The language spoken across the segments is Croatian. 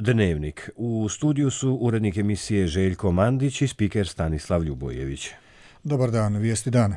Dnevnik. U studiju su urednik emisije Željko Mandić i spiker Stanislav Ljubojević. Dobar dan, vijesti dana.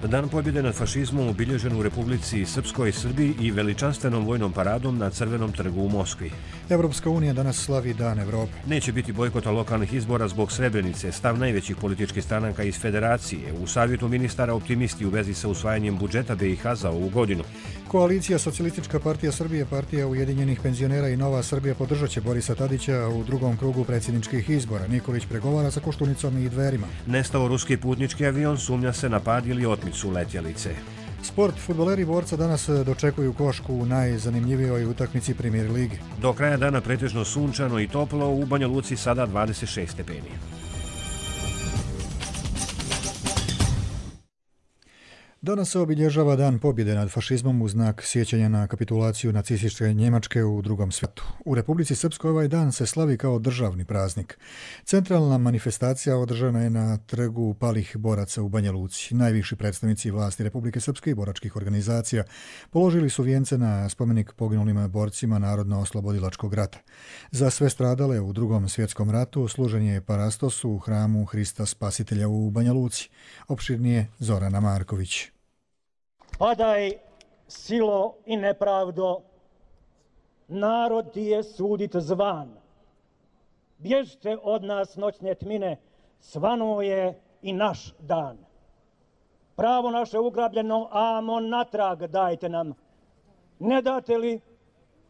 Dan pobjede nad fašizmom obilježen u Republici Srpskoj, Srbiji i veličanstvenom vojnom paradom na Crvenom trgu u Moskvi. Evropska unija danas slavi Dan Evrope. Neće biti bojkota lokalnih izbora zbog Srebrenice, stav najvećih političkih stranaka iz Federacije. U savjetu ministara optimisti u vezi sa usvajanjem budžeta BiH za ovu godinu. Koalicija Socijalistička partija Srbije, Partija ujedinjenih penzionera i Nova Srbija podržat će Borisa Tadića u drugom krugu predsjedničkih izbora. Nikolić pregovara sa Koštunicom i Dverima. Nestao ruski putnički avion, sumnja se na pad ili otmicu letjelice. Sport. Fudbaleri Borca danas dočekuju Košku u najzanimljivijoj utakmici Premier lige. Do kraja dana pretežno sunčano i toplo, u Banja Luci sada 26 stepeni. Danas se obilježava Dan pobjede nad fašizmom u znak sjećanja na kapitulaciju nacističke Njemačke u Drugom svijetu. U Republici Srpskoj ovaj dan se slavi kao državni praznik. Centralna manifestacija održana je na trgu palih boraca u Banja Luci. Najviši predstavnici vlasti Republike Srpske i boračkih organizacija položili su vijence na spomenik poginulim borcima Narodno-oslobodilačkog rata. Za sve stradale u Drugom svjetskom ratu služen je parastos u hramu Hrista Spasitelja u Banja Luci. Opširnije Zorana Marković. Padaj, silo i nepravdo, narod ti je sudit zvan. Bježte od nas noćne tmine, svanuo je i naš dan. Pravo naše ugrabljeno, amo natrag dajte nam. Ne date li,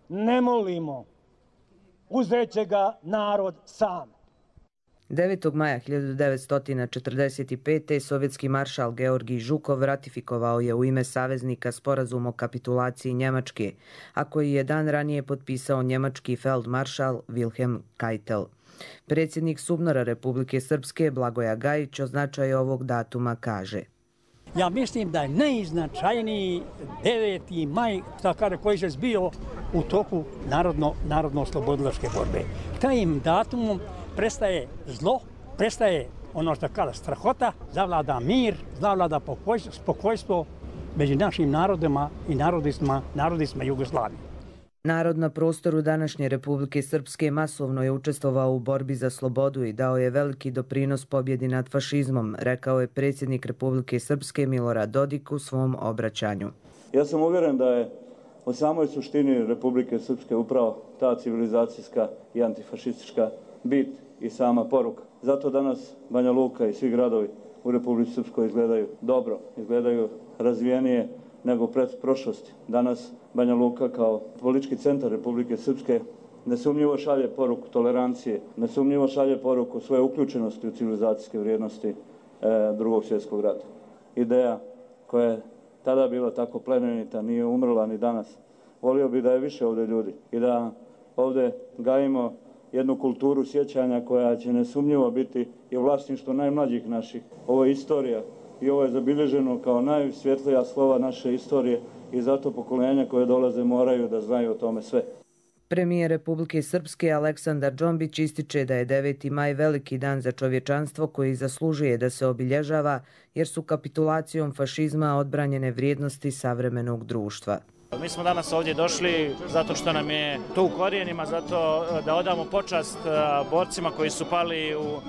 ne molimo, uzet će ga narod sam. 9. maja 1945. sovjetski maršal Georgij Žukov ratifikovao je u ime saveznika sporazum o kapitulaciji Njemačke, a koji je dan ranije potpisao njemački feldmaršal Wilhelm Keitel. Predsjednik SUBNOR-a Republike Srpske Blagoja Gajić o značaju ovog datuma kaže: Ja mislim da je najznačajniji 9. maj, koji se zbio u toku narodno-oslobodilačke borbe. Tajim datumom prestaje zlo, prestaje ono što kala strahota, zavlada mir, zavlada spokojstvo među našim narodima i narodima Jugoslavije. Narod na prostoru današnje Republike Srpske masovno je učestvovao u borbi za slobodu i dao je veliki doprinos pobjedi nad fašizmom, rekao je predsjednik Republike Srpske Milorad Dodik u svom obraćanju. Ja sam uvjeren da je u samoj suštini Republike Srpske upravo ta civilizacijska i antifašistička bit i sama poruka. Zato danas Banja Luka i svi gradovi u Republici Srpskoj izgledaju dobro, izgledaju razvijenije nego pred prošlosti. Danas Banja Luka kao politički centar Republike Srpske nesumnjivo šalje poruku tolerancije, nesumnjivo šalje poruku svoje uključenosti u civilizacijske vrijednosti Drugog svjetskog rata. Ideja koja je tada bila tako plemenita nije umrla ni danas. Volio bi da je više ovdje ljudi i da ovdje gajimo jednu kulturu sjećanja koja će nesumnjivo biti i vlasništvo najmlađih naših. Ovo je istorija i ovo je zabilježeno kao najsvjetlija slova naše istorije i zato pokolenja koje dolaze moraju da znaju o tome sve. Premijer Republike Srpske Aleksandar Džombić ističe da je 9. maj veliki dan za čovječanstvo koji zaslužuje da se obilježava jer su kapitulacijom fašizma odbranjene vrijednosti savremenog društva. Mi smo danas ovdje došli zato što nam je to u korijenima, zato da odamo počast borcima koji su pali u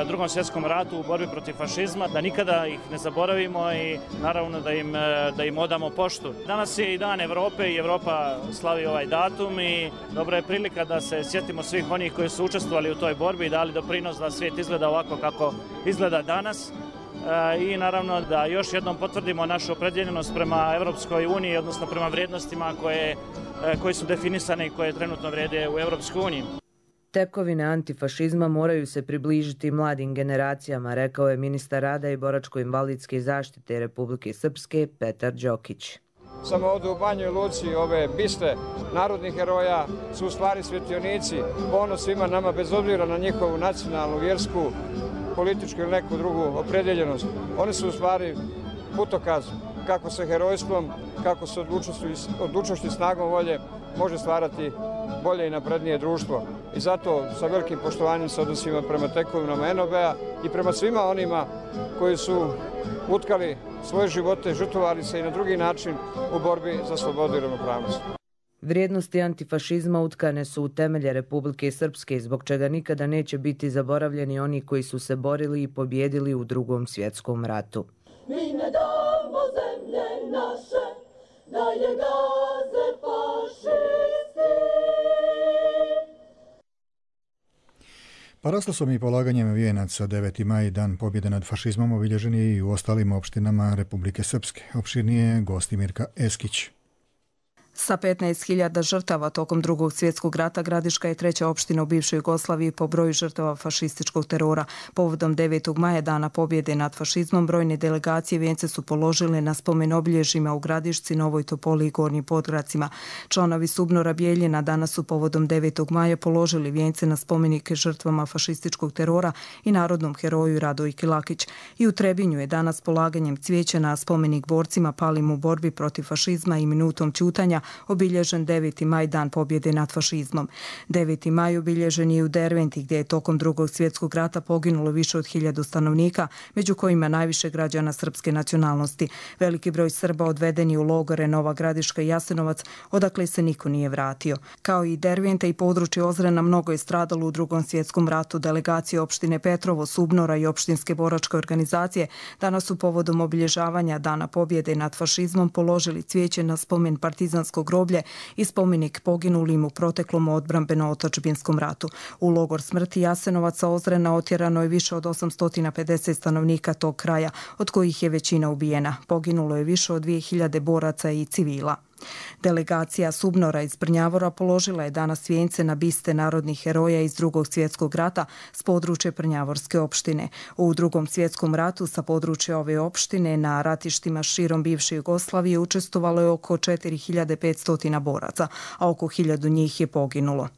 Drugom svjetskom ratu u borbi protiv fašizma, da nikada ih ne zaboravimo i naravno da im odamo poštu. Danas je i Dan Evrope i Evropa slavi ovaj datum i dobra je prilika da se sjetimo svih onih koji su učestvovali u toj borbi i dali doprinos da svijet izgleda ovako kako izgleda danas. I naravno da još jednom potvrdimo našu opredjeljenost prema Evropskoj uniji, odnosno prema vrijednostima koje su definisane i koje trenutno vrijede u Evropskoj uniji. Tekovine antifašizma moraju se približiti mladim generacijama, rekao je ministar rada i boračko-invalidske zaštite Republike Srpske Petar Đokić. Samo ovdje u Banjoj Luci ove biste narodnih heroja su u stvari svjetionici, ponos svima nama bez obzira na njihovu nacionalnu, vjersku, političku ili neku drugu opredjeljenost. Oni su u stvari putokaz kako se herojstvom, kako se odlučnošću i snagom volje može stvarati bolje i naprednije društvo. I zato sa velikim poštovanjem se odnosimo prema tekovinama NOB-a i prema svima onima koji su utkali svoje živote, žrtvovali se i na drugi način u borbi za slobodu i ravnopravnost. Vrijednosti antifašizma utkane su u temelje Republike Srpske, zbog čega nikada neće biti zaboravljeni oni koji su se borili i pobjedili u Drugom svjetskom ratu. Mi ne damo zemlje naše, da je gaze fašisti. Paraslasom i polaganjem vijenaca 9. maj, dan pobjede nad fašizmom, obilježen je i u ostalim opštinama Republike Srpske. Opširnije Gostimirka Eskić. Sa 15.000 žrtava tokom Drugog svjetskog rata Gradiška je treća opština u bivšoj Jugoslaviji po broju žrtava fašističkog terora. Povodom 9. maja, dana pobjede nad fašizmom, brojne delegacije vijence su položile na spomen obilježjima u Gradišci, Novoj Topoli i Gornjim Podgracima. Članovi SUBNOR-a Bijeljina danas su povodom 9. maja položili vijence na spomenike žrtvama fašističkog terora i narodnom heroju Radoji Kilakić. I u Trebinju je danas polaganjem cvijeća na spomenik borcima palim u borbi protiv fašizma i minutom ćutanja obilježen 9. maj, dan pobjede nad fašizmom. 9. maj obilježen je u Derventi, gdje je tokom Drugog svjetskog rata poginulo više od 1000 stanovnika, među kojima najviše građana srpske nacionalnosti. Veliki broj Srba odveden je u logore Nova Gradiška i Jasenovac, odakle se niko nije vratio. Kao i Derventa i područje Ozrena, mnogo je stradalo u Drugom svjetskom ratu. Delegacije opštine Petrovo, SUBNOR-a i opštinske boračke organizacije danas su povodom obilježavanja dana pobjede nad fašizmom položili cvijeće na spomen partizanskog groblje i spomenik poginulim u proteklom odbrambeno-otadžbinskom ratu. U logor smrti Jasenovaca Ozrena otjerano je više od 850 stanovnika tog kraja, od kojih je većina ubijena. Poginulo je više od 2000 boraca i civila. Delegacija SUBNOR-a iz Prnjavora položila je danas vijence na biste narodnih heroja iz Drugog svjetskog rata s područja Prnjavorske opštine. U Drugom svjetskom ratu sa područja ove opštine na ratištima širom bivše Jugoslavije učestvovalo je oko 4500 boraca, a oko 1000 njih je poginulo.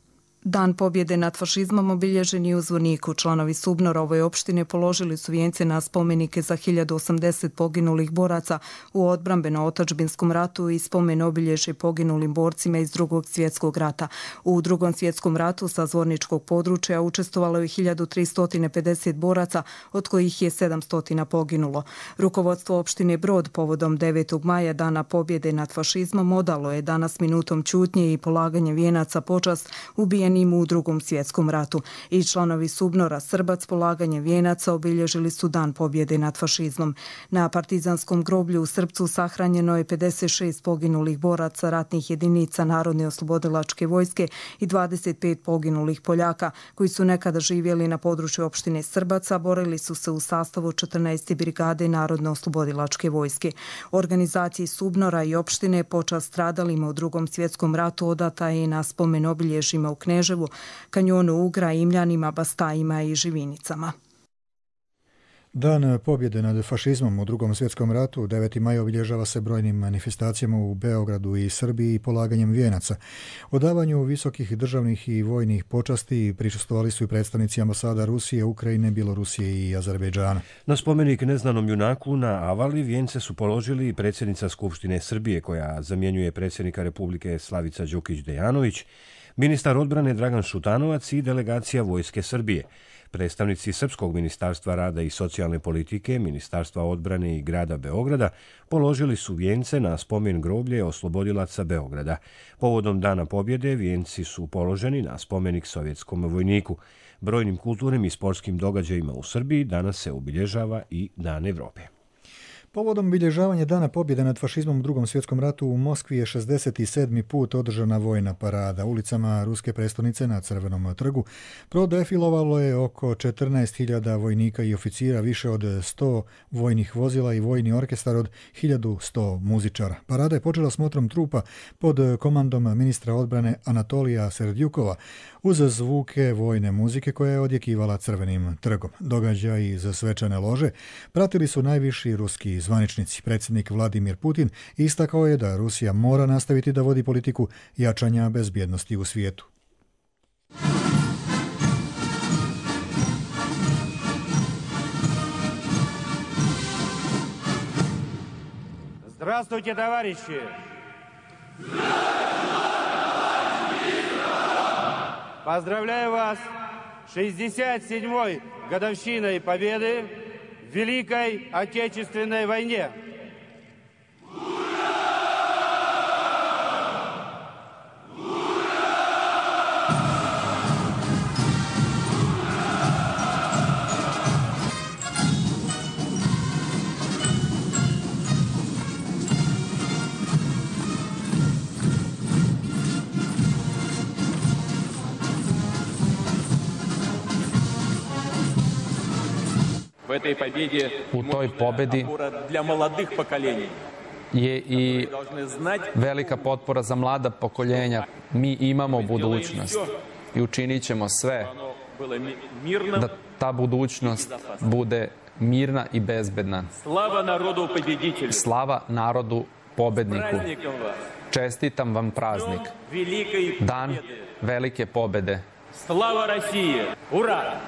Dan pobjede nad fašizmom obilježen je u Zvorniku. Članovi SUBNOR-a ove opštine položili su vijence na spomenike za 1080 poginulih boraca u odbrambeno-otadžbinskom ratu i spomen obilježje poginulim borcima iz Drugog svjetskog rata. U Drugom svjetskom ratu sa zvorničkog područja učestvovalo je 1350 boraca, od kojih je 700 poginulo. Rukovodstvo opštine Brod povodom 9. maja, dana pobjede nad fašizmom, odalo je danas minutom ćutnje i polaganjem vijenaca počast ubijenim u Drugom svjetskom ratu. I članovi SUBNOR-a Srbac polaganjem vijenaca obilježili su dan pobjede nad fašizmom. Na partizanskom groblju u Srpcu sahranjeno je 56 poginulih boraca ratnih jedinica Narodne oslobodilačke vojske i 25 poginulih Poljaka koji su nekada živjeli na području opštine Srbaca, borili su se u sastavu 14. brigade Narodne oslobodilačke vojske. Organizaciji SUBNOR-a i opštine počast stradalima u Drugom svjetskom ratu odata je na spomen obilježjima u Kneževu, kanjonu Ugra, Imljanima, Bastajima i Živinicama. Dan pobjede nad fašizmom u Drugom svjetskom ratu 9. maj obilježava se brojnim manifestacijama u Beogradu i Srbiji i polaganjem vijenaca. Odavanju visokih državnih i vojnih počasti prisustvovali su i predstavnici ambasada Rusije, Ukrajine, Bjelorusije i Azerbejdžana. Na spomenik neznanom junaku na Avali vijence su položili i predsjednica Skupštine Srbije, koja zamjenjuje predsjednika Republike Slavica Đukić-Dejanović, ministar odbrane Dragan Šutanovac i delegacija Vojske Srbije. Predstavnici Srpskog ministarstva rada i socijalne politike, Ministarstva odbrane i grada Beograda položili su vijence na spomen groblje oslobodilaca Beograda. Povodom dana pobjede vijenci su položeni na spomenik sovjetskom vojniku. Brojnim kulturnim i sportskim događajima u Srbiji danas se obilježava i Dan Evrope. Povodom obilježavanja dana pobjede nad fašizmom u Drugom svjetskom ratu u Moskvi je 67. put održana vojna parada. Ulicama ruske prestonice na Crvenom trgu prodefilovalo je oko 14.000 vojnika i oficira, više od 100 vojnih vozila i vojni orkestar od 1100 muzičara. Parada je počela smotrom trupa pod komandom ministra odbrane Anatolija Serdjukova uz zvuke vojne muzike koja je odjekivala Crvenim trgom. Događaj iz svečane lože pratili su najviši ruski zvaničnici. Predsjednik Vladimir Putin istakao je da Rusija mora nastaviti da vodi politiku jačanja bezbjednosti u svijetu. Здравствуйте, товарищи! Поздравляю вас с 67-й годовщиной победы в Великой Отечественной войне. U toj pobedi je i velika potpora za mlada pokoljenja. Mi imamo budućnost i učinit ćemo sve da ta budućnost bude mirna i bezbedna. Slava narodu pobedniku. Čestitam vam praznik. Dan velike pobede. Slava России! Ura!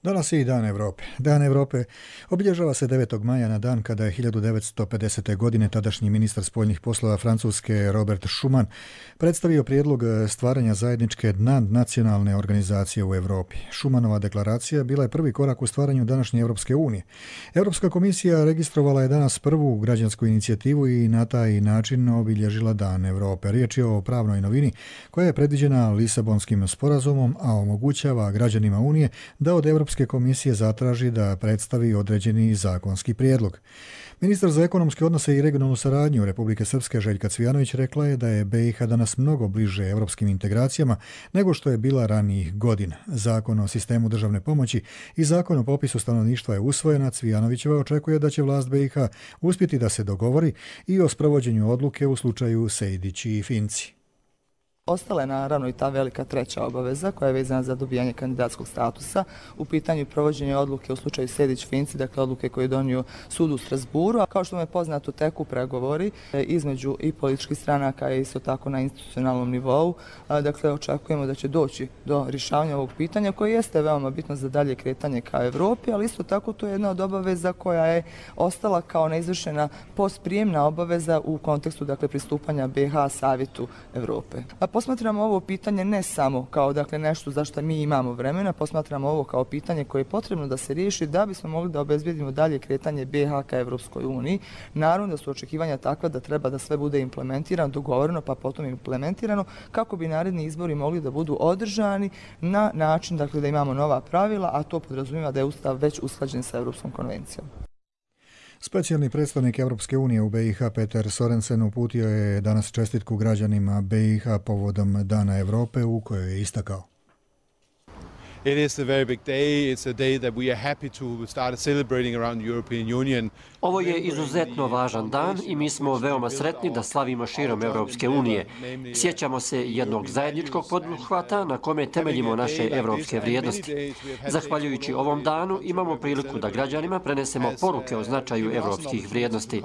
Danas je i Dan Evrope. Dan Evrope obilježava se 9. maja na dan kada je 1950. godine tadašnji ministar spoljnih poslova Francuske Robert Schuman predstavio prijedlog stvaranja zajedničke nadnacionalne organizacije u Europi. Schumanova deklaracija bila je prvi korak u stvaranju današnje Europske unije. Europska komisija registrovala je danas prvu građansku inicijativu i na taj način obilježila Dan Evrope. Riječ je o pravnoj novini koja je predviđena Lisabonskim sporazumom, a omogućava građanima Unije da od Europske komisije zatraži da predstavi određeni zakonski prijedlog. Ministar za ekonomske odnose i regionalnu saradnju Republike Srpske Željka Cvijanović rekla je da je BiH danas mnogo bliže europskim integracijama nego što je bila ranijih godina. Zakon o sistemu državne pomoći i zakon o popisu stanovništva je usvojena. Cvijanovićeva očekuje da će vlast BiH uspjeti da se dogovori i o sprovođenju odluke u slučaju Sejdić i Finci. Ostala je naravno i ta velika treća obaveza koja je vezana za dobijanje kandidatskog statusa. U pitanju provođenja odluke u slučaju Sejdić-Finci, dakle odluke koje je donio sud u Strasburu, a kao što vam je poznato teku pregovori između i političkih stranaka i isto tako na institucionalnom nivou. Dakle, očekujemo da će doći do rješavanja ovog pitanja koje jeste veoma bitno za dalje kretanje ka Evropi, ali isto tako to je jedna od obaveza koja je ostala kao neizvršena postprijemna obaveza u kontekstu dakle pristupanja BiH Savjetu Evrope. Posmatramo ovo pitanje ne samo kao dakle nešto za što mi imamo vremena, posmatramo ovo kao pitanje koje je potrebno da se riješi da bismo mogli da obezbijedimo dalje kretanje BiH ka Evropskoj uniji. Naravno da su očekivanja takva da treba da sve bude implementirano, dogovoreno pa potom implementirano kako bi naredni izbori mogli da budu održani na način dakle da imamo nova pravila, a to podrazumijeva da je Ustav već usklađen sa Europskom konvencijom. Specijalni predstavnik Europske unije u BiH Peter Sorensen uputio je danas čestitku građanima BiH povodom Dana Evrope u kojoj je istakao: It is a very big day. It's a day that we are happy to start celebrating around the European Union. Ovo je izuzetno važan dan i mi smo veoma sretni da slavimo širom Europske unije. Sjećamo se jednog zajedničkog poduhvata na kome temeljimo naše evropske vrijednosti. Zahvaljujući ovom danu imamo priliku da građanima prenesemo poruke o značaju evropskih vrijednosti.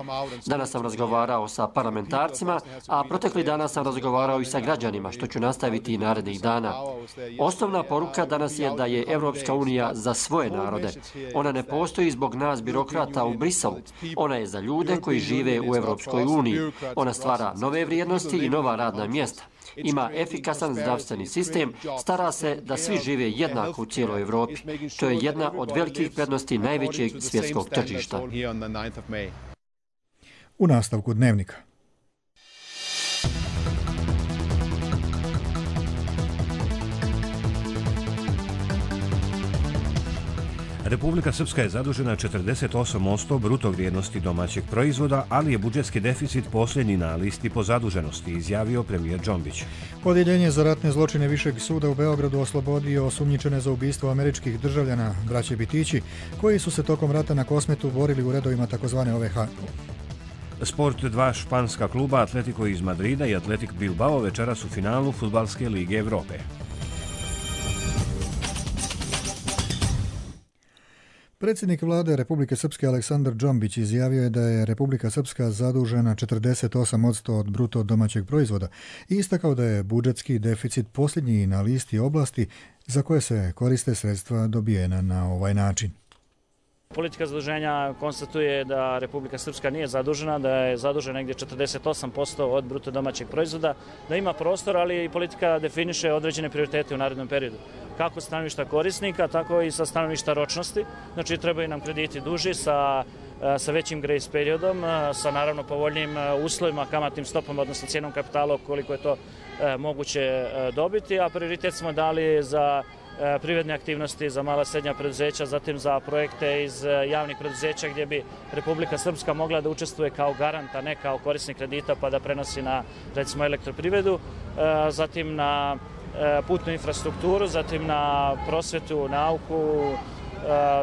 Danas sam razgovarao sa parlamentarcima, a protekli dana sam razgovarao i sa građanima, što ću nastaviti i narednih dana. Osnovna poruka danas je da je Evropska unija za svoje narode. Ona ne postoji zbog nas birokrata u Briselu. Ona je za ljude koji žive u Evropskoj uniji. Ona stvara nove vrijednosti i nova radna mjesta. Ima efikasan zdravstveni sistem, stara se da svi žive jednako u cijeloj Evropi. To je jedna od velikih prednosti najvećeg svjetskog tržišta. U nastavku dnevnika. Republika Srpska je zadužena 48% bruto vrijednosti domaćeg proizvoda, ali je budžetski deficit posljednji na listi po zaduženosti, izjavio premijer Džombić. Odjeljenje za ratne zločine Višeg suda u Beogradu oslobodio osumnjičene za ubistvo američkih državljana, braće Bitići, koji su se tokom rata na Kosmetu borili u redovima takozvane OVH. Sport, dva španska kluba, Atletico iz Madrida i Atletik Bilbao večeras u finalu Fudbalske lige Evrope. Predsjednik vlade Republike Srpske Aleksandar Džombić izjavio je da je Republika Srpska zadužena 48% od bruto domaćeg proizvoda i istakao da je budžetski deficit posljednji na listi oblasti za koje se koriste sredstva dobijena na ovaj način. Politika zaduženja konstatuje da Republika Srpska nije zadužena, da je zadužena negdje 48% od bruto domaćeg proizvoda, da ima prostor, ali i politika definiše određene prioritete u narednom periodu. Kako stanovišta korisnika, tako i sa stanovišta ročnosti. Znači, trebaju nam krediti duži sa većim grace periodom, sa naravno povoljnim uslovima, kamatnim stopama, odnosno cijenom kapitala koliko je to moguće dobiti, a prioritet smo dali za privredne aktivnosti, za mala srednja preduzeća, zatim za projekte iz javnih preduzeća gdje bi Republika Srpska mogla da učestvuje kao garant, a ne kao korisnik kredita pa da prenosi na, recimo, elektroprivredu, zatim na putnu infrastrukturu, zatim na prosvetu, nauku,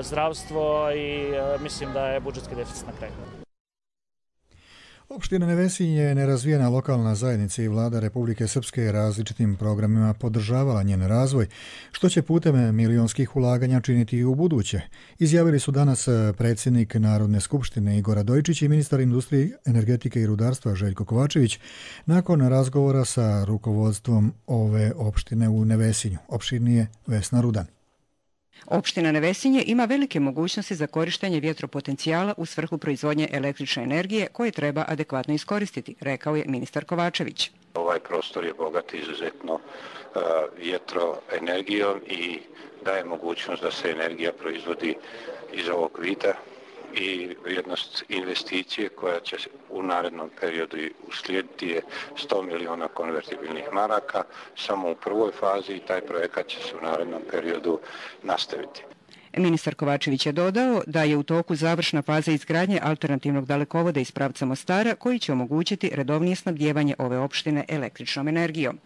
zdravstvo i mislim da je budžetski deficit na kraju. Opština Nevesinje je nerazvijena lokalna zajednica i vlada Republike Srpske različitim programima podržavala njen razvoj, što će putem milionskih ulaganja činiti i u buduće. Izjavili su danas predsjednik Narodne skupštine Igor Radojičić i ministar industrije, energetike i rudarstva Željko Kovačević nakon razgovora sa rukovodstvom ove opštine u Nevesinju. Opširnije Vesna Rudan. Opština Nevesinje ima velike mogućnosti za korištenje vjetropotencijala u svrhu proizvodnje električne energije koje treba adekvatno iskoristiti, rekao je ministar Kovačević. Ovaj prostor je bogat izuzetno vjetroenergijom i daje mogućnost da se energija proizvodi iz ovog vida i vrijednost investicije koja će u narednom periodu uslijediti je 100 miliona konvertibilnih maraka. Samo u prvoj fazi taj projekat će se u narednom periodu nastaviti. Ministar Kovačević je dodao da je u toku završna faza izgradnje alternativnog dalekovoda iz pravca Mostara koji će omogućiti redovnije snabdijevanje ove opštine električnom energijom.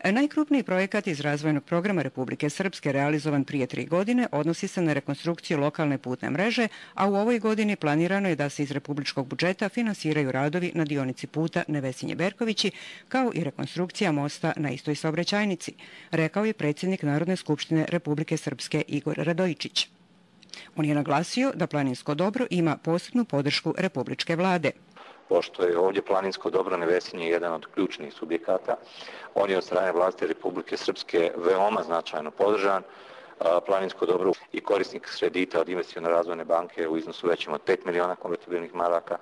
Najkrupniji projekat iz razvojnog programa Republike Srpske realizovan prije 3 godine odnosi se na rekonstrukciju lokalne putne mreže, a u ovoj godini planirano je da se iz republičkog budžeta finansiraju radovi na dionici puta Nevesinje-Berkovići, kao i rekonstrukcija mosta na istoj saobraćajnici, rekao je predsjednik Narodne skupštine Republike Srpske Igor Radojičić. On je naglasio da planinsko dobro ima posebnu podršku republičke vlade. Pošto je ovdje planinsko dobro Nevesinje jedan od ključnih subjekata, on je od strane vlasti Republike Srpske veoma značajno podržan. Planinsko dobro i korisnik kredita od Investicione razvojne banke u iznosu većem od 5 miliona konvertibilnih maraka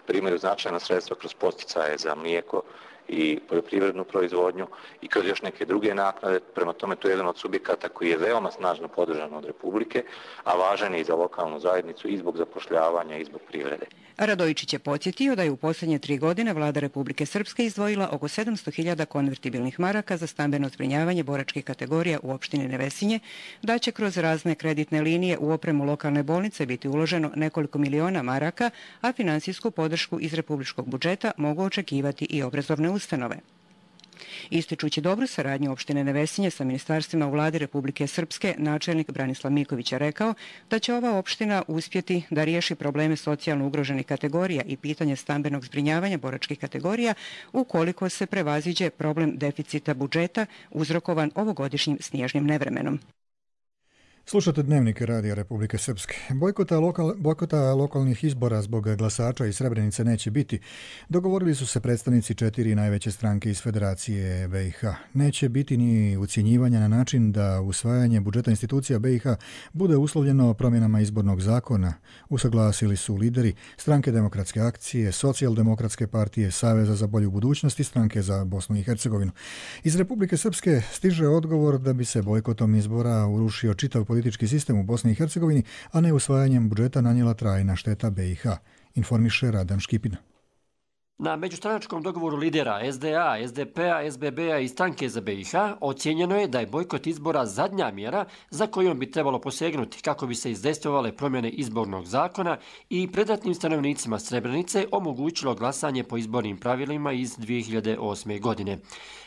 primaju značajna sredstva kroz podsticaje za mlijeko i poljoprivrednu proizvodnju i kroz još neke druge naknade. Prema tome, to je jedan od subjekata koji je veoma snažno podržan od Republike, a važan je i za lokalnu zajednicu i zbog zapošljavanja i zbog privrede. Radojičić je podsjetio da je u posljednje 3 godine vlada Republike Srpske izdvojila oko 700.000 konvertibilnih maraka za stambeno zbrinjavanje boračkih kategorija u opštini Nevesinje, da će kroz razne kreditne linije u opremu lokalne bolnice biti uloženo nekoliko miliona maraka, a finansijsku podršku iz republičkog budžeta mogu očekivati i obrazovne ustanove. Ističući dobru saradnju opštine Nevesinje sa ministarstvima u vladi Republike Srpske, načelnik Branislav Miković je rekao da će ova opština uspjeti da riješi probleme socijalno ugroženih kategorija i pitanje stambenog zbrinjavanja boračkih kategorija ukoliko se prevaziđe problem deficita budžeta uzrokovan ovogodišnjim snježnim nevremenom. Slušate Dnevnik Radija Republike Srpske. Bojkota lokalnih izbora zbog glasača iz Srebrenice neće biti. Dogovorili su se predstavnici 4 najveće stranke iz Federacije BiH. Neće biti ni ucjenjivanja na način da usvajanje budžeta institucija BiH bude uslovljeno promjenama izbornog zakona. Usaglasili su lideri Stranke demokratske akcije, Socijaldemokratske partije, Saveza za bolju budućnost i Stranke za Bosnu i Hercegovinu. Iz Republike Srpske stiže odgovor da bi se bojkotom izbora urušio čitav politički sistem u Bosni i Hercegovini, a ne usvajanjem budžeta nanijela trajna šteta BiH, informiše Radan Škipina. Na međustranačkom dogovoru lidera SDA, SDP-a, SBB-a i Stranke za BiH ocijenjeno je da je bojkot izbora zadnja mjera za kojom bi trebalo posegnuti kako bi se izdejstvovale promjene izbornog zakona i predratnim stanovnicima Srebrenice omogućilo glasanje po izbornim pravilima iz 2008. godine.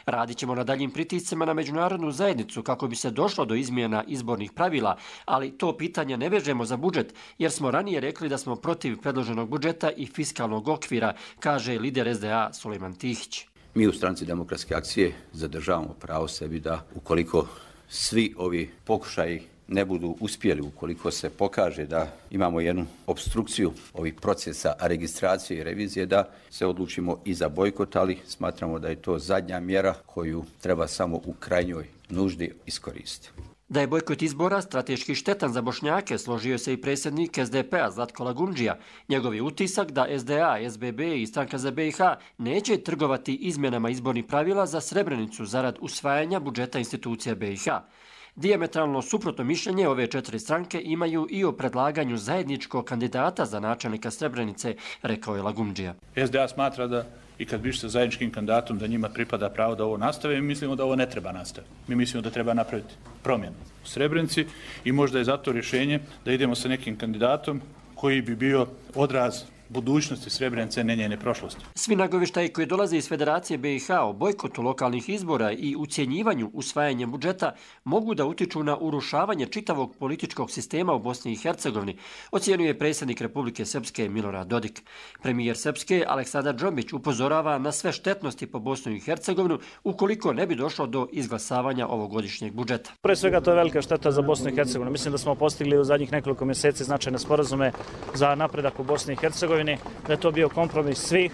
Radit ćemo na daljim pritiscima na međunarodnu zajednicu kako bi se došlo do izmjena izbornih pravila, ali to pitanje ne vežemo za budžet jer smo ranije rekli da smo protiv predloženog budžeta i fiskalnog okvira, kaže lider SDA Sulejman Tihić. Mi u Stranci demokratske akcije zadržavamo pravo sebi da ukoliko svi ovi pokušaji ne budu uspjeli, ukoliko se pokaže da imamo jednu obstrukciju ovih procesa registracije i revizije, da se odlučimo i za bojkot, ali smatramo da je to zadnja mjera koju treba samo u krajnjoj nuždi iskoristiti. Da je bojkot izbora strateški štetan za Bošnjake, složio se i predsjednik SDP-a Zlatko Lagundžija. Njegov je utisak da SDA, SBB i Stranka za BiH neće trgovati izmjenama izbornih pravila za Srebrenicu zarad usvajanja budžeta institucija BiH. Dijametralno suprotno mišljenje ove 4 stranke imaju i o predlaganju zajedničkog kandidata za načelnika Srebrenice, rekao je Lagundžija. SDA smatra da i kad bi išli sa zajedničkim kandidatom da njima pripada pravo da ovo nastave, mi mislimo da ovo ne treba nastaviti. Mi mislimo da treba napraviti promjenu u Srebrenici i možda je zato rješenje da idemo sa nekim kandidatom koji bi bio odraz budućnosti Srebrenice, ne njene prošlosti. Svi nagovještaji koji dolaze iz Federacije BiH o bojkotu lokalnih izbora i ucjenjivanju usvajanjem budžeta mogu da utiču na urušavanje čitavog političkog sistema u Bosni i Hercegovini, ocjenjuje predsjednik Republike Srpske Milorad Dodik. Premijer Srpske Aleksandar Džombić upozorava na sve štetnosti po Bosnu i Hercegovinu ukoliko ne bi došlo do izglasavanja ovogodišnjeg budžeta. Pre svega to je velika šteta za Bosnu i Hercegovinu. Mislim da smo postigli u zadnjih nekoliko mjeseci značajne sporazume za napredak u Bosni i Hercegovini, da je to bio kompromis svih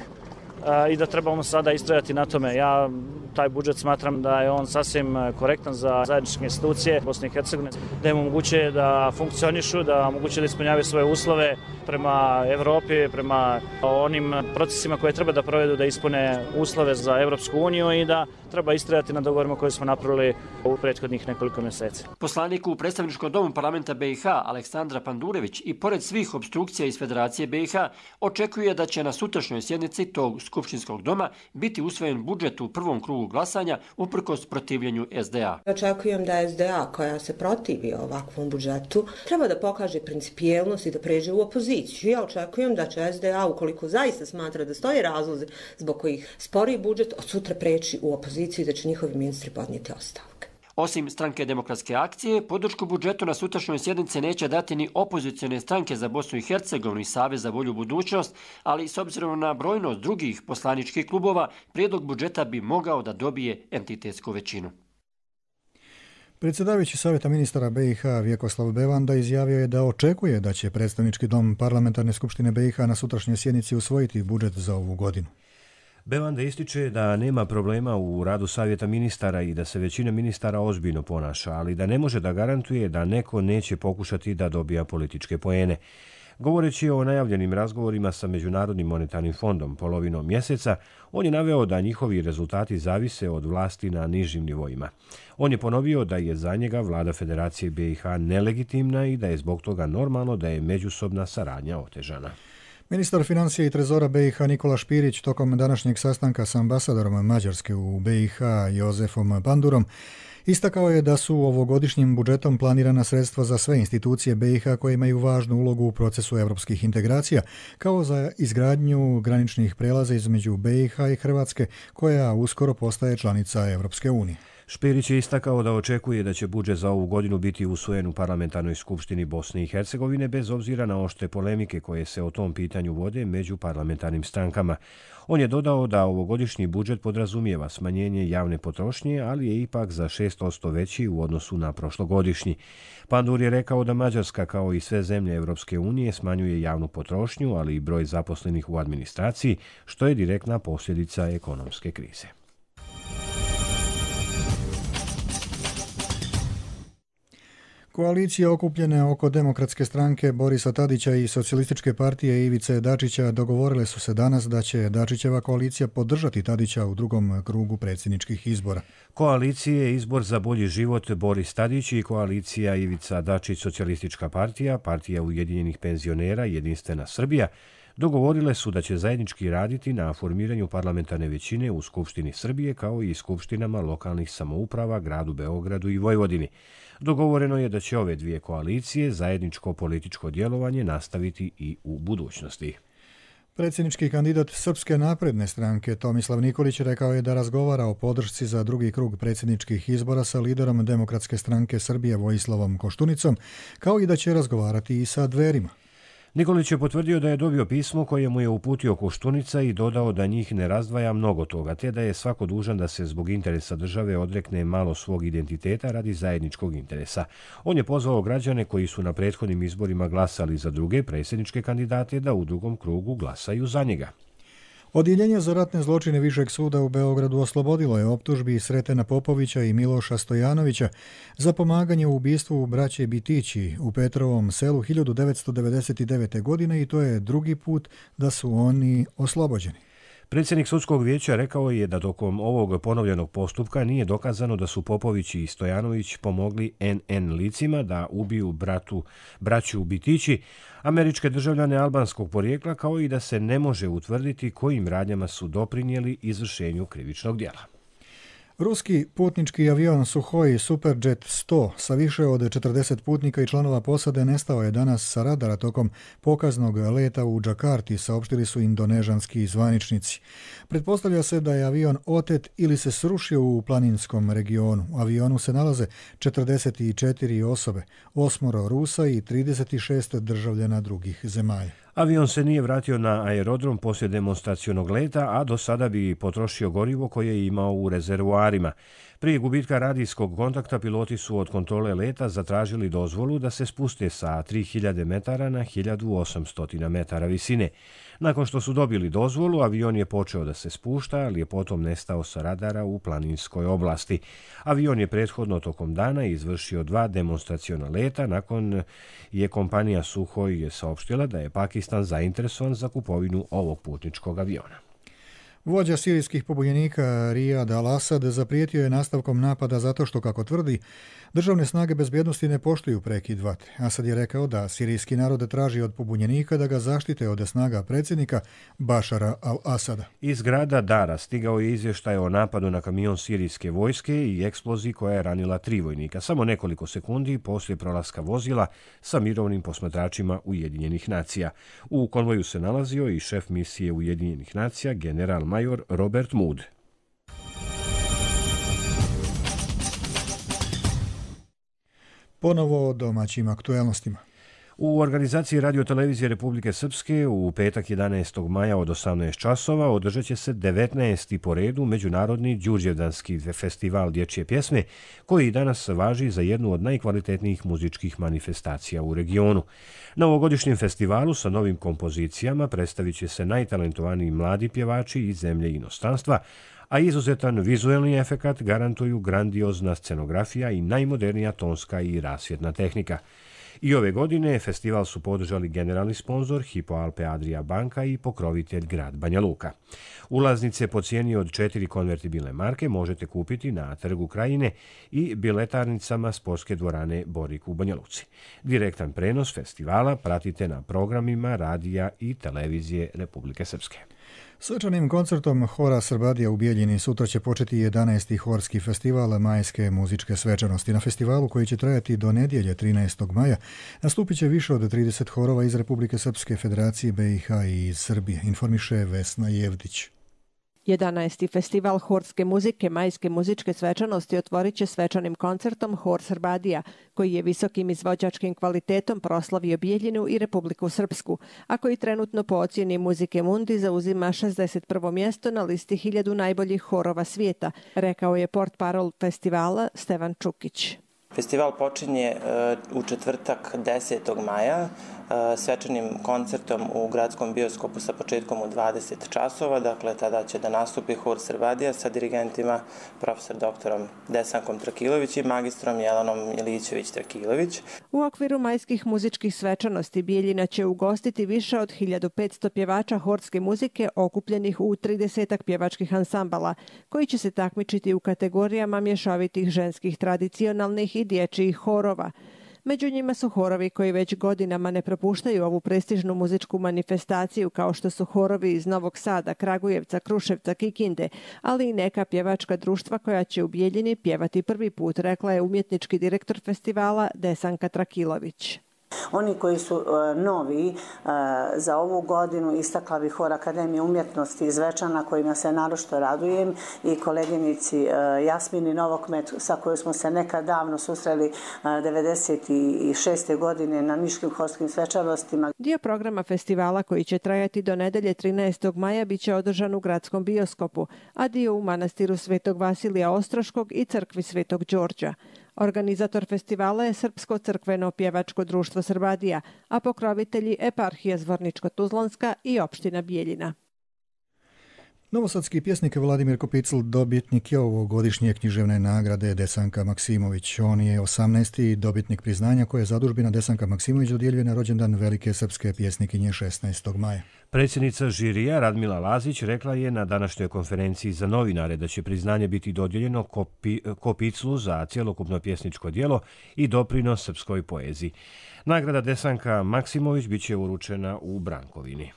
i da trebamo sada istrajati na tome. Ja taj budžet smatram da je on sasvim korektan za zajedničke institucije Bosne i Hercegovine, da im omogućuje da funkcionišu, da omogućuje da ispunjavaju svoje uslove prema Evropi, prema onim procesima koje treba da provedu da ispune uslove za Evropsku uniju i da treba istrajati na dogovorima koje smo napravili u prethodnih nekoliko mjeseci. Poslanik u predstavničkom domu parlamenta BiH Aleksandra Pandurević i pored svih obstrukcija iz Federacije BiH očekuje da će na sutrašnjoj sjednici tog skupštinskog doma biti usvojen budžet u prvom krugu glasanja uprkos protivljenju SDA. Očekujem da SDA koja se protivi ovakvom budžetu treba da pokaže principijelnost i da pređe u opoziciju. Ja očekujem da će SDA, ukoliko zaista smatra da stoje razlozi zbog kojih spori budžet, od sutra preći u opoziciju i da će njihovi ministri podnijeti ostavke. Osim Stranke demokratske akcije, podršku budžetu na sutrašnjoj sjednici neće dati ni opozicione stranke za Bosnu i Hercegovinu i Savez za bolju budućnost, ali s obzirom na brojnost drugih poslaničkih klubova, prijedlog budžeta bi mogao da dobije entitetsku većinu. Predsjedavajući Savjeta ministara BiH Vjekoslav Bevanda izjavio je da očekuje da će predstavnički dom Parlamentarne skupštine BiH na sutrašnjoj sjednici usvojiti budžet za ovu godinu. Bevanda ističe da nema problema u radu Savjeta ministara i da se većina ministara ozbiljno ponaša, ali da ne može da garantuje da neko neće pokušati da dobija političke poene. Govoreći o najavljenim razgovorima sa Međunarodnim monetarnim fondom polovinom mjeseca, on je naveo da njihovi rezultati zavise od vlasti na nižim nivoima. On je ponovio da je za njega vlada Federacije BiH nelegitimna i da je zbog toga normalno da je međusobna saradnja otežana. Ministar financija i trezora BiH Nikola Špirić tokom današnjeg sastanka s ambasadorom Mađarske u BiH Jozefom Pandurom istakao je da su ovogodišnjim budžetom planirana sredstva za sve institucije BiH koje imaju važnu ulogu u procesu evropskih integracija, kao za izgradnju graničnih prelaza između BiH i Hrvatske, koja uskoro postaje članica Evropske unije. Špirić je istakao da očekuje da će budžet za ovu godinu biti usvojen u Parlamentarnoj skupštini Bosne i Hercegovine bez obzira na oštre polemike koje se o tom pitanju vode među parlamentarnim strankama. On je dodao da ovogodišnji budžet podrazumijeva smanjenje javne potrošnje, ali je ipak za 6% veći u odnosu na prošlogodišnji. Pandur je rekao da Mađarska, kao i sve zemlje Evropske unije, smanjuje javnu potrošnju, ali i broj zaposlenih u administraciji, što je direktna posljedica ekonomske krize. Koalicije okupljene oko Demokratske stranke Borisa Tadića i Socijalističke partije Ivice Dačića dogovorile su se danas da će Dačićeva koalicija podržati Tadića u drugom krugu predsjedničkih izbora. Koalicije Izbor za bolji život Boris Tadić i koalicija Ivica Dačić Socijalistička partija, Partija ujedinjenih penzionera Jedinstvena Srbija dogovorile su da će zajednički raditi na formiranju parlamentarne većine u Skupštini Srbije kao i skupštinama lokalnih samouprava, gradu Beogradu i Vojvodini. Dogovoreno je da će ove dvije koalicije zajedničko političko djelovanje nastaviti i u budućnosti. Predsjednički kandidat Srpske napredne stranke Tomislav Nikolić rekao je da razgovara o podršci za drugi krug predsjedničkih izbora sa liderom Demokratske stranke Srbije Vojislavom Koštunicom, kao i da će razgovarati i sa Dverima. Nikolić je potvrdio da je dobio pismo koje mu je uputio Koštunica i dodao da njih ne razdvaja mnogo toga, te da je svako dužan da se zbog interesa države odrekne malo svog identiteta radi zajedničkog interesa. On je pozvao građane koji su na prethodnim izborima glasali za druge predsjedničke kandidate da u drugom krugu glasaju za njega. Odjeljenje za ratne zločine Višeg suda u Beogradu oslobodilo je optužbi Sretena Popovića i Miloša Stojanovića za pomaganje u ubistvu braće Bitići u Petrovom selu 1999. godine i to je drugi put da su oni oslobođeni. Predsjednik sudskog vijeća rekao je da tokom ovog ponovljenog postupka nije dokazano da su Popović i Stojanović pomogli NN licima da ubiju braću Bitići, američke državljane albanskog porijekla, kao i da se ne može utvrditi kojim radnjama su doprinijeli izvršenju krivičnog djela. Ruski putnički avion Suhoi Superjet 100 sa više od 40 putnika i članova posade nestao je danas sa radara tokom pokaznog leta u Džakarti, saopštili su indonežanski zvaničnici. Pretpostavlja se da je avion otet ili se srušio u planinskom regionu. U avionu se nalaze 44 osobe, 8 Rusa i 36 državljana drugih zemalja. Avion se nije vratio na aerodrom poslije demonstracionog leta, a do sada bi potrošio gorivo koje je imao u rezervoarima. Prije gubitka radijskog kontakta piloti su od kontrole leta zatražili dozvolu da se spuste sa 3000 metara na 1800 metara visine. Nakon što su dobili dozvolu, avion je počeo da se spušta, ali je potom nestao sa radara u planinskoj oblasti. Avion je prethodno tokom dana izvršio 2 demonstraciona leta, nakon je kompanija Suhoi saopštila da je Pakistan zainteresovan za kupovinu ovog putničkog aviona. Vođa sirijskih pobunjenika Riyad al-Assad zaprijetio je nastavkom napada zato što, kako tvrdi, državne snage bezbjednosti ne poštuju prekid vatre. Asad je rekao da sirijski narod traži od pobunjenika da ga zaštite od snaga predsjednika Bašara al-Asada. Iz grada Dara stigao je izvještaj o napadu na kamion sirijske vojske i eksploziji koja je ranila 3 vojnika, samo nekoliko sekundi poslije prolaska vozila sa mirovnim posmatračima Ujedinjenih nacija. U konvoju se nalazio i šef misije Ujedinjenih nacija, general major Robert Mood. Ponovo o domaćim aktuelnostima. U organizaciji Radio-televizije Republike Srpske u petak 11. maja od 18 časova održat će se 19. po redu Međunarodni Đurđevdanski festival dječje pjesme, koji danas važi za jednu od najkvalitetnijih muzičkih manifestacija u regionu. Na ovogodišnjem festivalu sa novim kompozicijama predstavit će se najtalentovaniji mladi pjevači iz zemlje i inostranstva, a izuzetan vizuelni efekat garantuju grandiozna scenografija i najmodernija tonska i rasvjetna tehnika. I ove godine festival su podržali generalni sponzor Hypo Alpe Adria banka i pokrovitelj grad Banja Luka. Ulaznice po cijeni od 4 konvertibilne marke možete kupiti na Trgu Krajine i biletarnicama sportske dvorane Borik u Banja Luci. Direktan prenos festivala pratite na programima radija i televizije Republike Srpske. Svečanim koncertom Hora Srbadija u Bijeljini sutra će početi 11. horski festival majske muzičke svečanosti. Na festivalu, koji će trajati do nedjelje 13. maja, nastupit će više od 30 horova iz Republike Srpske, Federacije BiH i iz Srbije, informiše Vesna Jevdić. 11. festival horske muzike majske muzičke svečanosti otvorit će svečanim koncertom Hor Srbadija, koji je visokim izvođačkim kvalitetom proslavio Bijeljinu i Republiku Srpsku, a koji trenutno po ocjeni Muzike Mundi zauzima 61. mjesto na listi 1000 najboljih horova svijeta, rekao je portparol festivala Stevan Čukić. Festival počinje u četvrtak 10. maja svečanim koncertom u gradskom bioskopu sa početkom u 20 časova. Dakle, tada će da nastupi Hor Srbadija sa dirigentima profesor doktorom Desankom Trakilović i magistrom Jelanom Milićević-Trakilović. U okviru majskih muzičkih svečanosti Bijeljina će ugostiti više od 1500 pjevača horske muzike okupljenih u 30 pjevačkih ansambala, koji će se takmičiti u kategorijama mješovitih ženskih tradicionalnih i dječjih horova. Među njima su horovi koji već godinama ne propuštaju ovu prestižnu muzičku manifestaciju, kao što su horovi iz Novog Sada, Kragujevca, Kruševca, Kikinde, ali i neka pjevačka društva koja će u Bijeljini pjevati prvi put, rekla je umjetnički direktor festivala Desanka Trakilović. Oni koji su novi za ovu godinu istakla bih Hor Akademije umjetnosti iz Zvečana, kojima se naročito radujem, i koleginici Jasmini Novokmet, sa kojoj smo se nekad davno susreli 96. godine na Niškim horskim svečanostima. Dio programa festivala, koji će trajati do nedelje 13. maja, bit će održan u gradskom bioskopu, a dio u manastiru Svetog Vasilija Ostroškog i crkvi Svetog Đorđa. Organizator festivala je Srpsko crkveno pjevačko društvo Srbadija, a pokrovitelji eparhija Zvorničko-Tuzlanska i opština Bijeljina. Novosadski pjesnik Vladimir Kopicl dobitnik je ovogodišnje književne nagrade Desanka Maksimović. On je 18. dobitnik priznanja koje zadužbina Desanka Maksimović dodjeljuje na rođendan velike srpske pjesnikinje 16. maja. Predsjednica žirija Radmila Lazić rekla je na današnjoj konferenciji za novinare da će priznanje biti dodijeljeno Kopiclu za cjelokupno pjesničko djelo i doprinos srpskoj poeziji. Nagrada Desanka Maksimović bit će uručena u Brankovini.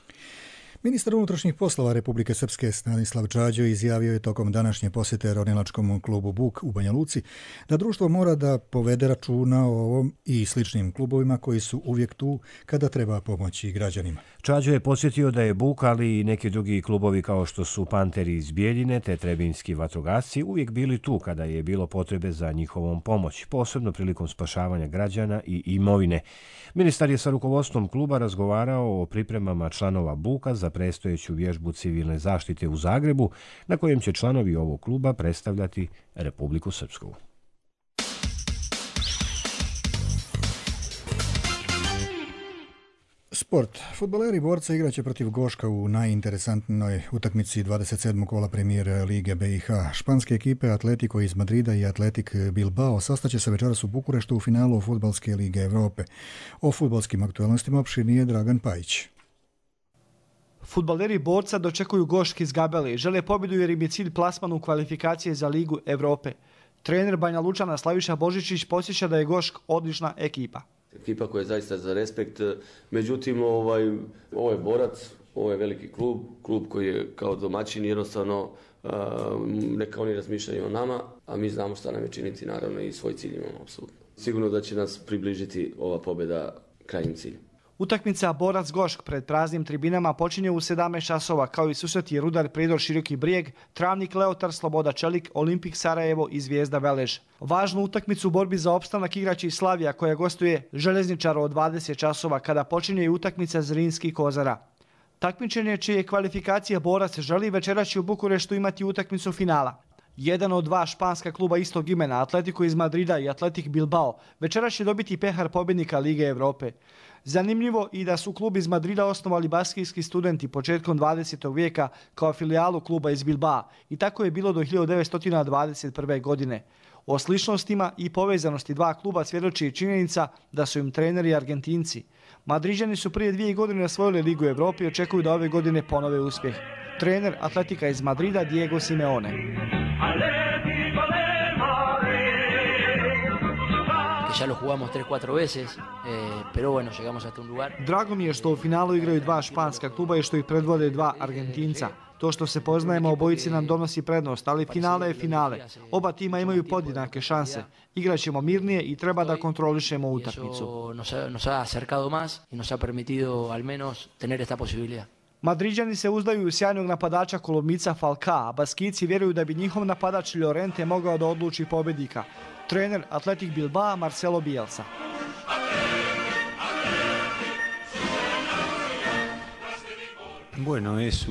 Ministar unutrašnjih poslova Republike Srpske Stanislav Čađo izjavio je tokom današnje posjete ronilačkom klubu Buk u Banja Luci da društvo mora da povede računa o ovom i sličnim klubovima koji su uvijek tu kada treba pomoći građanima. Čađo je podsjetio da je Buk, ali i neki drugi klubovi kao što su Panteri iz Bijeljine te Trebinski vatrogasci uvijek bili tu kada je bilo potrebe za njihovom pomoć, posebno prilikom spašavanja građana i imovine. Ministar je sa rukovodstvom kluba razgovarao o pripremama članova Buka za predstojeću vježbu civilne zaštite u Zagrebu, na kojem će članovi ovog kluba predstavljati Republiku Srpsku. Sport. Fudbaleri Borca igraće protiv Goška u najinteresantnoj utakmici 27. kola Premier Lige BiH. Španske ekipe Atletico iz Madrida i Atletik Bilbao sastaće se večeras u Bukureštu u finalu Fudbalske lige Evrope. O fudbalskim aktualnostima opširnije Dragan Pajić. Fudbaleri Borca dočekuju Gošk iz Gabele i žele pobjedu jer im je cilj plasman u kvalifikacije za Ligu Evrope. Trener Banja Lučana Slaviša Božičić podsjeća da je Gošk odlična ekipa. Ekipa koja je zaista za respekt, međutim ovo je Borac, ovo je veliki klub koji je kao domaćin jednostavno neka oni razmišljaju o nama, a mi znamo šta nam je činiti, naravno i svoj cilj imamo apsolutno. Sigurno da će nas približiti ova pobjeda krajnjem cilju. Utakmica Borac-Gošk pred praznim tribinama počinje u 17 časova, kao i susreti Rudar Prijedor Široki Brijeg, Travnik Leotar Sloboda Čelik, Olimpik Sarajevo i Zvijezda Velež. Važnu utakmicu u borbi za opstanak igraće i Slavija koja gostuje Željezničara od 20 časova kada počinje i utakmica Zrinski Kozara. Takmičenje čije kvalifikacije Borac želi večeras će u Bukureštu imati utakmicu finala. Jedan od dva španska kluba istog imena, Atletico iz Madrida i Atletik Bilbao, večeras će dobiti pehar pobjednika Lige Evrope. Zanimljivo i da su klub iz Madrida osnovali baskijski studenti početkom 20. vijeka kao filijalu kluba iz Bilbao i tako je bilo do 1921. godine. O sličnostima i povezanosti dva kluba svjedoči i činjenica da su im treneri Argentinci. Madriđani su prije 2 godine osvojili Ligu Evrope i očekuju da ove godine ponove uspjeh. Trener Atletika iz Madrida Diego Simeone. Ya lo jugamos 3-4 veces, pero bueno, llegamos hasta un lugar. Drago mi je što u finalu igraju dva španska kluba i što ih predvode dva Argentinca. To što se poznajemo obojici nam donosi prednost, ali finale je finale. Oba tima imaju podjednake šanse. Igraćemo mirnije i treba da kontrolišemo utakmicu. Nos ha acercado más y nos ha permitido al menos tener esta posibilidad. Madriđani se uzdaju u sjajnog napadača Kolombica Falcao, a Baskijci vjeruju da bi njihov napadač Llorente mogao da odluči pobjednika. Trener Atletik Bilbao Marcelo Bielsa. Bueno, es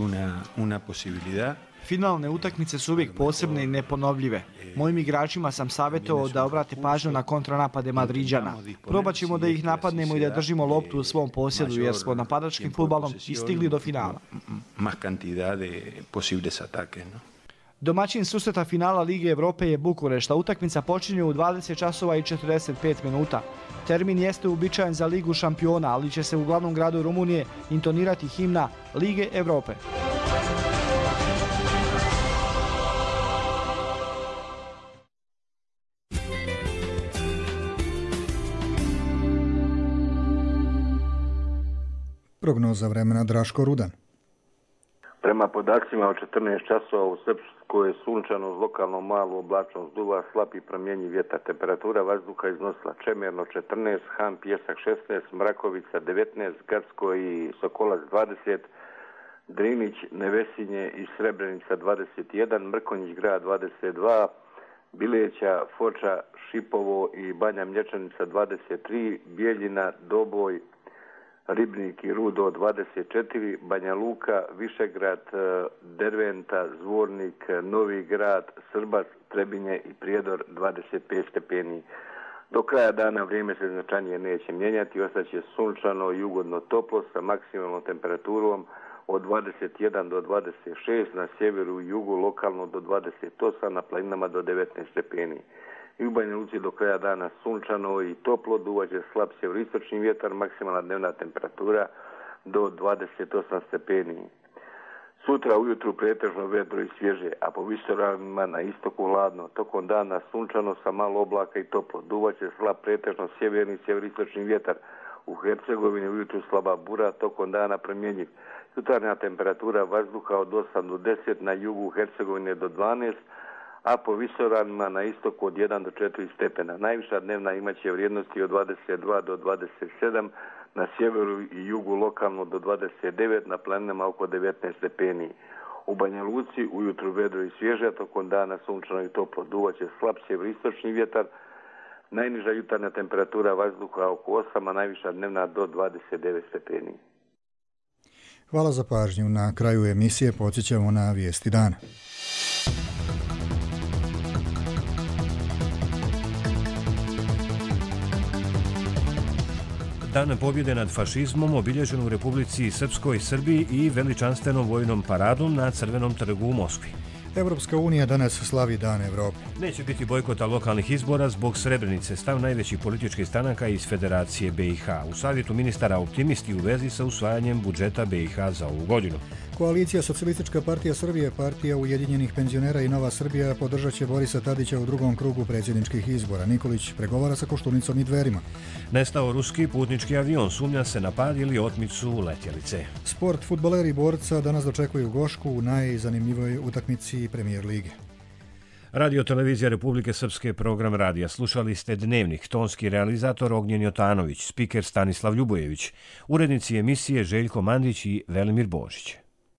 una posibilidad. Finalne utakmice su uvijek posebne i neponovljive. Mojim igračima sam savjetovao da obrate pažnju na kontranapade Madriđana. Probat ćemo da ih napadnemo i da držimo loptu u svom posjedu jer smo napadačkim fudbalom i stigli do finala. Más cantidad de posibles ataques, no? Domaćin susreta finala Lige Evrope je Bukurešta. Utakmica počinje u 20 časova i 45 minuta. Termin jeste uobičajen za Ligu šampiona, ali će se u glavnom gradu Rumunije intonirati himna Lige Evrope. Prognoza vremena Draško Rudan. Prema podacima od 14 časova u Srpskoj je sunčano uz lokalno malu oblačnost duva, slab i promjenjiv vjetar. Temperatura vazduha iznosila Čemerno 14, Han Pjesak 16, Mrakovica 19, Gacko i Sokolac 20, Drinić, Nevesinje i Srebrenica 21, Mrkonjić grad 22, Bileća, Foča, Šipovo i Banja Mlječanica 23, Bijeljina, Doboj, Ribnik i Rudo 24, Banja Luka, Višegrad, Derventa, Zvornik, Novi Grad, Srbac, Trebinje i Prijedor 25 stepeni. Do kraja dana vrijeme se značajnije neće mijenjati, ostaće sunčano i ugodno toplo sa maksimalnom temperaturom od 21 do 26, na sjeveru i jugu lokalno do 28, na planinama do 19 stepeni. I u Banja Luci do kraja dana sunčano i toplo, duvaće slab sjeveristočni vjetar, maksimalna dnevna temperatura do 28 stepeni. Sutra ujutru pretežno vedro i svježe, a po visoravnima na istoku hladno. Tokom dana sunčano sa malo oblaka i toplo. Duvaće slab pretežno sjeverni i sjeveristočni vjetar. U Hercegovini ujutru slaba bura, tokom dana promjenjiv. Jutarnja temperatura vazduha od 8 do 10, na jugu Hercegovine do 12, a po visoravnima na istoku od 1 do 4 stepena. Najviša dnevna imaće vrijednosti od 22 do 27, na sjeveru i jugu lokalno do 29, na planinama oko 19 stepeni. U Banja Luci ujutru vedro i svježe, tokom dana sunčano i toplo. Duvaće slab sjeveristočni vjetar. Najniža jutarnja temperatura vazduha oko 8, a najviša dnevna do 29 stepeni. Hvala za pažnju. Na kraju emisije podsjećamo na vijesti dana. Dan pobjede nad fašizmom obilježen u Republici Srpskoj, Srbiji i veličanstvenom vojnom paradom na Crvenom trgu u Moskvi. Evropska unija danas slavi Dan Evrope. Neće biti bojkota lokalnih izbora zbog Srebrenice, stav najvećih političkih stranaka iz Federacije BiH. U savjetu ministara optimisti u vezi sa usvajanjem budžeta BiH za ovu godinu. Koalicija Socijalistička partija Srbije, partija Ujedinjenih penzionera i Nova Srbija podržat će Borisa Tadića u drugom krugu predsjedničkih izbora. Nikolić pregovara sa Koštunicom i Dverima. Nestao ruski putnički avion, sumnja se na pad ili otmicu letjelice. Sport, fudbaleri i borca danas dočekuju Gošku u najzanimljivoj utakmici Premijer lige. Radio Televizija Republike Srpske, program radija. Slušali ste Dnevnik, tonski realizator Ognjen Jotanović, spiker Stanislav Ljubojević, urednici emisije Željko Mandić i Velimir Božić.